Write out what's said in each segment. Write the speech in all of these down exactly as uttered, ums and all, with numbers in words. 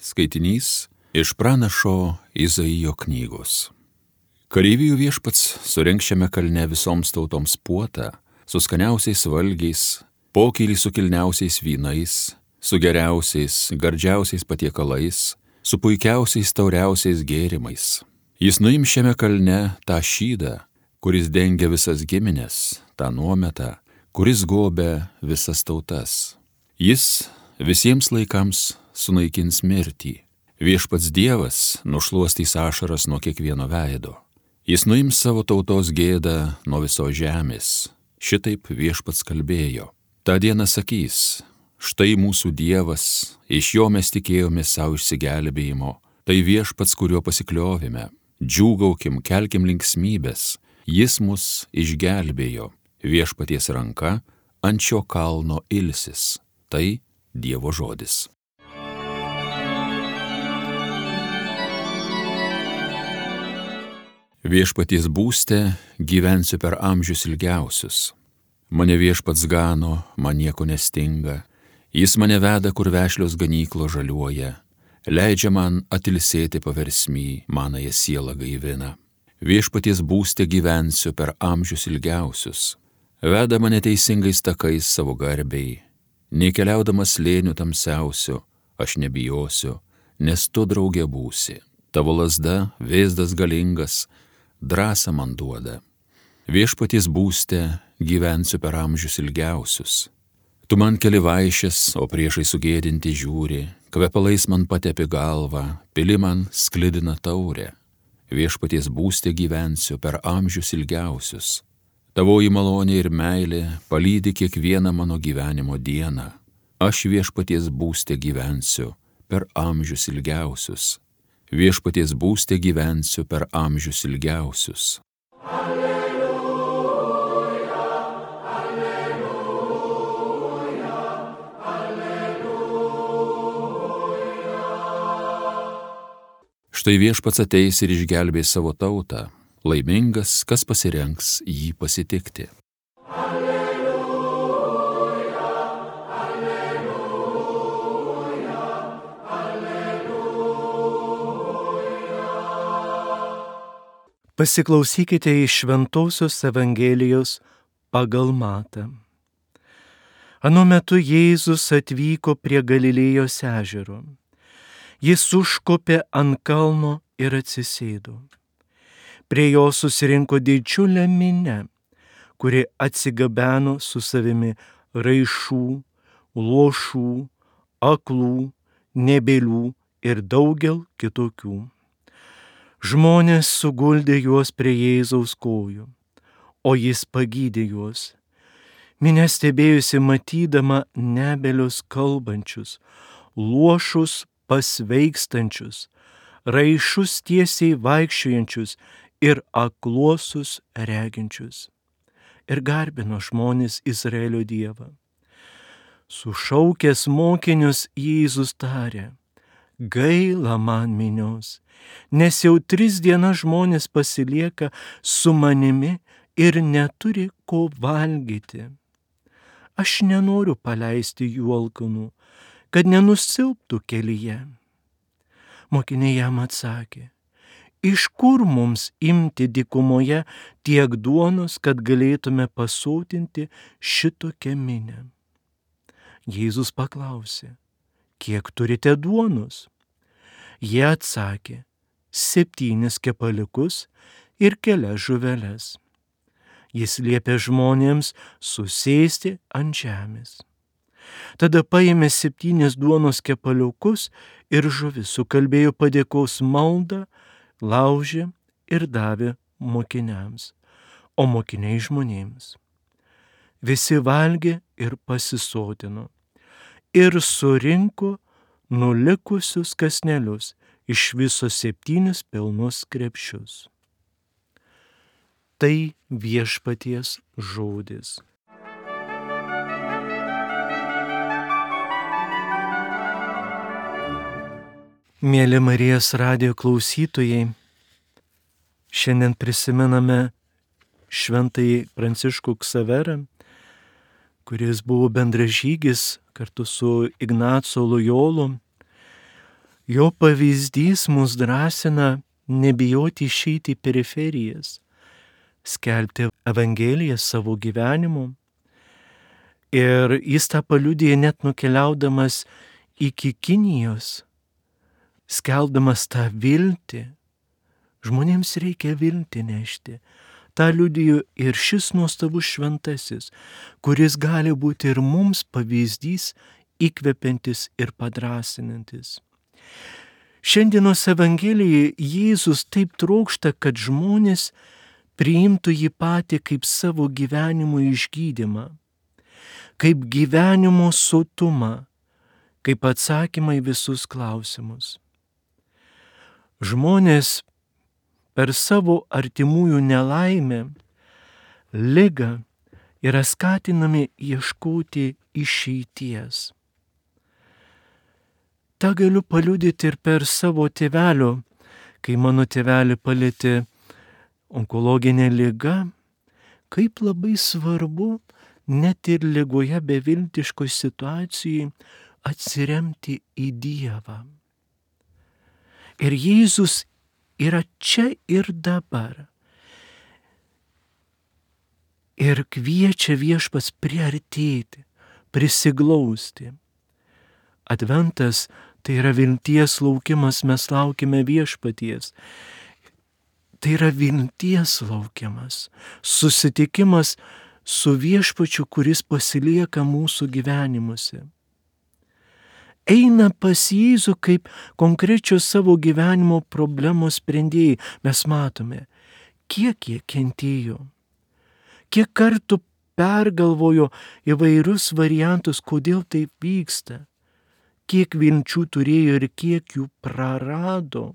Skaitinys iš pranašo Izaijo knygos. Kareivijų viešpats surengs šiame kalne visoms tautoms puotą, su skaniausiais valgiais, pokylį su kilniausiais vynais, su geriausiais, gardžiausiais patiekalais, su puikiausiais tauriausiais gėrimais. Jis nuims šiame kalne tą šydą, kuris dengia visas giminės, tą nuometą, kuris gobia visas tautas. Jis visiems laikams sunaikins mirtį. Viešpats Dievas nušluostys ašaras nuo kiekvieno veido. Jis nuims savo tautos gėdą nuo visos žemės. Šitaip viešpats kalbėjo. Ta diena sakys, štai mūsų Dievas, iš jo mes tikėjome savo išsigelbėjimo. Tai viešpats, kuriuo pasikliovime. Džiūgaukim, kelkim linksmybės. Jis mus išgelbėjo. Viešpaties ranka ant šio kalno ilsis. Tai Dievo žodis. Viešpaties būste gyvensiu per amžius ilgiausius. Mane viešpats gano, man nieko nestinga. Jis mane veda, kur vešlios ganyklo žaliuoja. Leidžia man atilsėti paversmy, manąją sielą gaivina. Viešpaties būste gyvensiu per amžius ilgiausius. Veda mane teisingais takais savo garbei. Nei keliaudamas slėnių tamsiausiu, aš nebijosiu, nes tu draugė būsi. Tavo lazda, vėzdas galingas, drąsą man duoda. Viešpaties būste gyvensiu per amžius ilgiausius. Tu man keli vaišes, o priešai sugėdinti žiūri, kvepalais man patepi galvą, pili man sklidina taurę. Viešpaties būste gyvensiu per amžius ilgiausius. Tavoji malonė ir meilė palydi kiekvieną mano gyvenimo dieną. Aš viešpaties būste gyvensiu per amžius ilgiausius. Viešpaties būste gyvensiu per amžius ilgiausius. Alleluja, alleluja, alleluja. Štai viešpats ateis ir išgelbės savo tautą. Laimingas, kas pasirengs jį pasitikti. Alleluja, alleluja, alleluja. Pasiklausykite iš Šventosios Evangelijos pagal Matą. Anu metu Jėzus atvyko prie Galilėjos ežero. Jis užkopė ant kalno ir atsisėdo. Prie jo susirinko didžiulė minia, kuri atsigabeno su savimi raišų, luošų, aklų, nebėlių ir daugel kitokių. Žmonės suguldė juos prie Jėzaus kojų, o jis pagydė juos. Minia stebėjusi matydama nebelius kalbančius, luošus pasveikstančius, raišus tiesiai vaikščiojančius ir akluosius reginčius. Ir garbino žmonės Izraelio Dievą. Sušaukęs mokinius Jėzus tarė, gaila man minios, nes jau tris dienas žmonės pasilieka su manimi ir neturi ko valgyti. Aš nenoriu paleisti jų alkanų, kad nenusilptų kelyje. Mokiniai jam atsakė, iš kur mums imti dykumoje tiek duonos, kad galėtume pasotinti šitokią minią? Jėzus paklausė, kiek turite duonos? Jie atsakė, septynis kepaliukus ir kelias žuveles. Jis liepė žmonėms susėsti ant žemės. Tada paėmė septynis duonos kepaliukus ir žuvis, sukalbėjo padėkos maldą, laužė ir davė mokiniams, o mokiniai žmonėms. Visi valgė ir pasisotino ir surinko nulikusius kąsnelius, iš viso septynis pilnus krepšius. Tai viešpaties žodis. Mėly Marijos radijo klausytojai, šiandien prisimename šventąjį Pranciškų Ksaverą, kuris buvo bendražygis kartu su Ignaco Lojolu. Jo pavyzdys mus drąsina nebijoti išeiti į periferijas, skelbti Evangeliją savo gyvenimu. Ir jis tą paliudija net nukeliaudamas iki Kinijos, skelbdamas tą viltį. Žmonėms reikia viltį nešti. Ta liudijo ir šis nuostabus šventasis, kuris gali būti ir mums pavyzdys, įkvepiantis ir padrasinantis. Šiandienos Evangelijoje Jėzus taip trokšta, kad žmonės priimtų jį patį kaip savo gyvenimo išgydymą, kaip gyvenimo sotumą, kaip atsakymą į visus klausimus. Žmonės per savo artimųjų nelaimę, ligą yra skatinami ieškoti išeities. Ta galiu paliudyti ir per savo tėvelio, kai mano tėvelį palietė onkologinė liga, kaip labai svarbu net ir ligoje beviltiškoje situacijoje atsiremti į Dievą. Ir Jėzus yra čia ir dabar. Ir kviečia viešpats priartėti, prisiglausti. Adventas tai yra vilties laukimas, mes laukime viešpaties. Tai yra vilties laukimas, susitikimas su viešpačiu, kuris pasilieka mūsų gyvenimuose. Eina pas Jėzų kaip konkrečios savo gyvenimo problemos sprendėjai. Mes matome, kiek jie kentėjo, kiek kartų pergalvojo įvairius variantus, kodėl taip vyksta, kiek vilčių turėjo ir kiek jų prarado.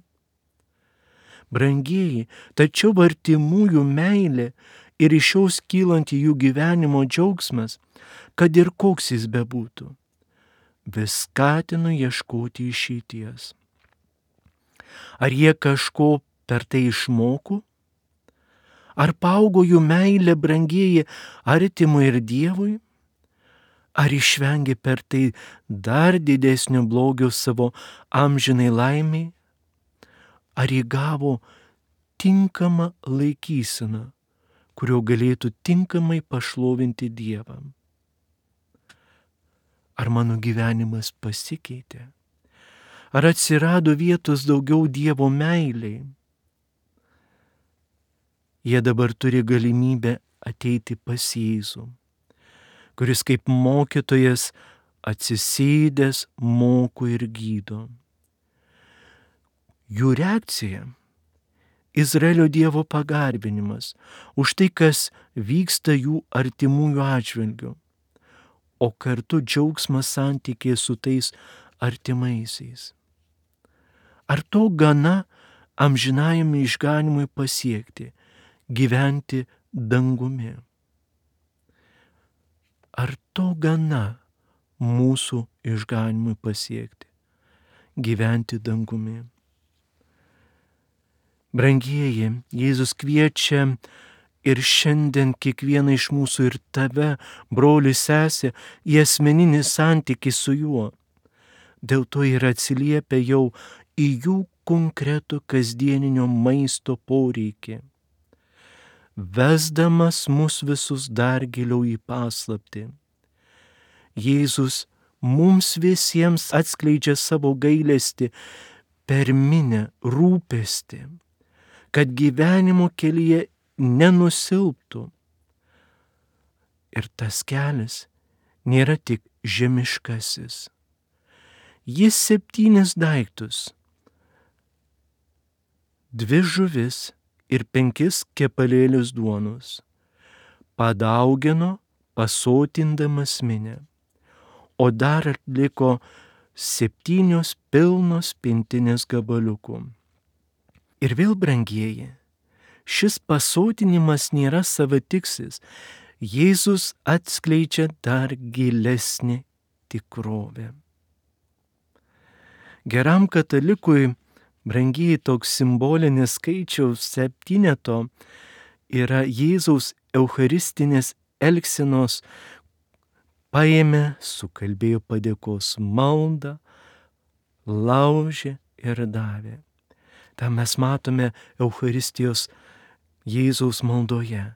Brangieji, tačiau artimųjų meilė ir iš jos kylanti jų gyvenimo džiaugsmas, kad ir koks jis bebūtų, vis skatino ieškoti išeities. Ar jie kažko per tai išmoko? Ar paaugo jų meilė, brangieji, artimui ir Dievui? Ar išvengė per tai dar didesnio blogio savo amžinai laimiai? Ar įgavo tinkamą laikyseną, kurio galėtų tinkamai pašlovinti Dievą? Ar mano gyvenimas pasikeitė? Ar atsirado vietos daugiau Dievo meiliai? Jie dabar turi galimybę ateiti pas Jėzų, kuris kaip mokytojas atsisėdęs moko ir gydo. Jų reakcija – Izraelio Dievo pagarbinimas už tai, kas vyksta jų artimųjų atžvilgiu, o kartu džiaugsmas santykiai su tais artimaisiais. Ar to gana amžinajame išganimui pasiekti, gyventi dangumi? Ar to gana mūsų išganimui pasiekti, gyventi dangumi? Brangieji, Jėzus kviečia ir šiandien kiekvieną iš mūsų ir tave, broli, sesė, į asmeninį santykį su juo. Dėl to ir atsiliepia jau į jų konkretų kasdieninio maisto poreikį, vesdamas mus visus dar giliau į paslaptį. Jėzus mums visiems atskleidžia savo gailestį per minią rūpestį, kad gyvenimo kelyje nenusilptų. Ir tas kelias nėra tik žemiškasis. Jis septynis daiktus, dvi žuvis ir penkis kepalėlius duonos, padaugino pasotindamas minią, o dar atliko septynios pilnos pintinės gabaliukų. Ir vėl, brangieji, šis pasotinimas nėra savatikslis. Jėzus atskleidžia dar gilesnį tikrovę. Geram katalikui, brangieji, toks simbolinis skaičiaus septyneto yra Jėzaus eucharistinės elgsenos. Paėmė, sukalbėjo padėkos maldą, laužė, ir davė. Ta mes matome Eucharistijos Jėzaus maldoje.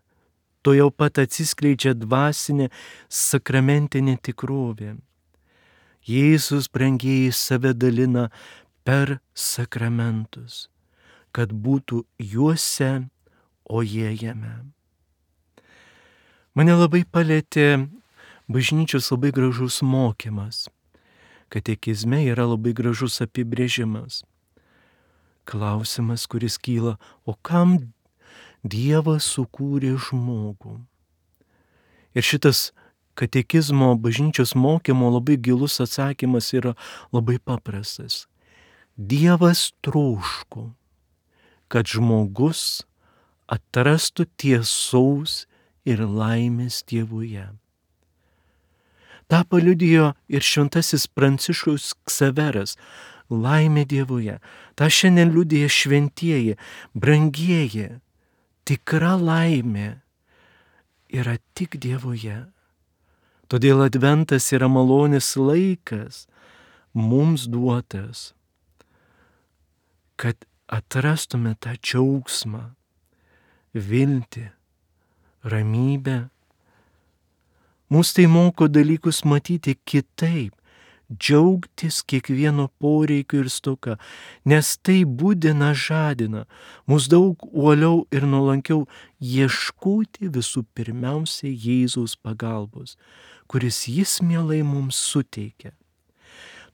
To jau pat atsiskleidžia dvasinė sakramentinė tikrovė. Jėzus, brangieji, save dalina per sakramentus, kad būtų juose, o jie jame. Mane labai palėtė bažnyčios labai gražus mokymas. Katekizme yra labai gražus apibrėžimas. Klausimas, kuris kyla, o kam Dievas sukūrė žmogų? Ir šitas katekizmo bažnyčios mokymo labai gilus atsakymas yra labai paprastas. Dievas troško, kad žmogus atrastų tiesaus ir laimės Dievuje. Ta paliudijo ir šventasis Pranciškus Ksaveras, laimė Dievuje. Ta šiandien liudija šventieji, brangieji. Tikra laimė yra tik Dievuje. Todėl adventas yra malonės laikas mums duotas, kad atrastume tą džiaugsmą, viltį, ramybę. Mūsų tai moko dalykus matyti kitaip, džiaugtis kiekvieno poreikiu ir stoka, nes tai būdina, žadina mus daug uoliau ir nuolankiau ieškoti visų pirmiausia Jėzaus pagalbos, kuris jis mielai mums suteikia.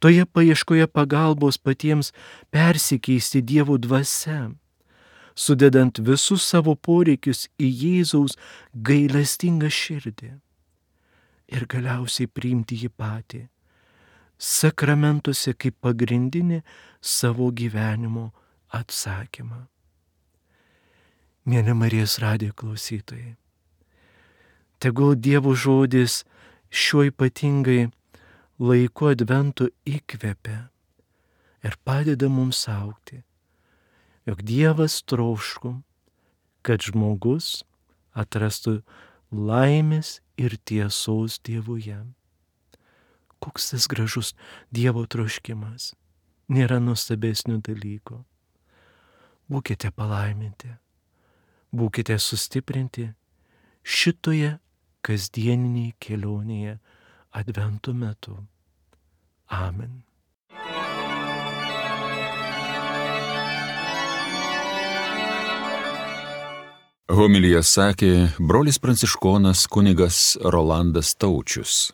Toje paieškoje pagalbos patiems persikeisti Dievo dvasia, sudedant visus savo poreikius į Jėzaus gailestingą širdį ir galiausiai priimti jį patį sakramentuose kaip pagrindinį savo gyvenimo atsakymą. Mėly Marijos radijo klausytojai, tegul Dievo žodis šiuo ypatingai laiku adventu įkvepia ir padeda mums augti, jog Dievas troško, kad žmogus atrastų laimės ir tiesos Dievuje. Koks tas gražus Dievo troškimas. Nėra nuostabesnio dalyko. Būkite palaiminti, būkite sustiprinti šitoje kasdieninėje kelionėje advento metu. Amen. Homiliją sakė brolis pranciškonas kunigas Rolandas Taučius.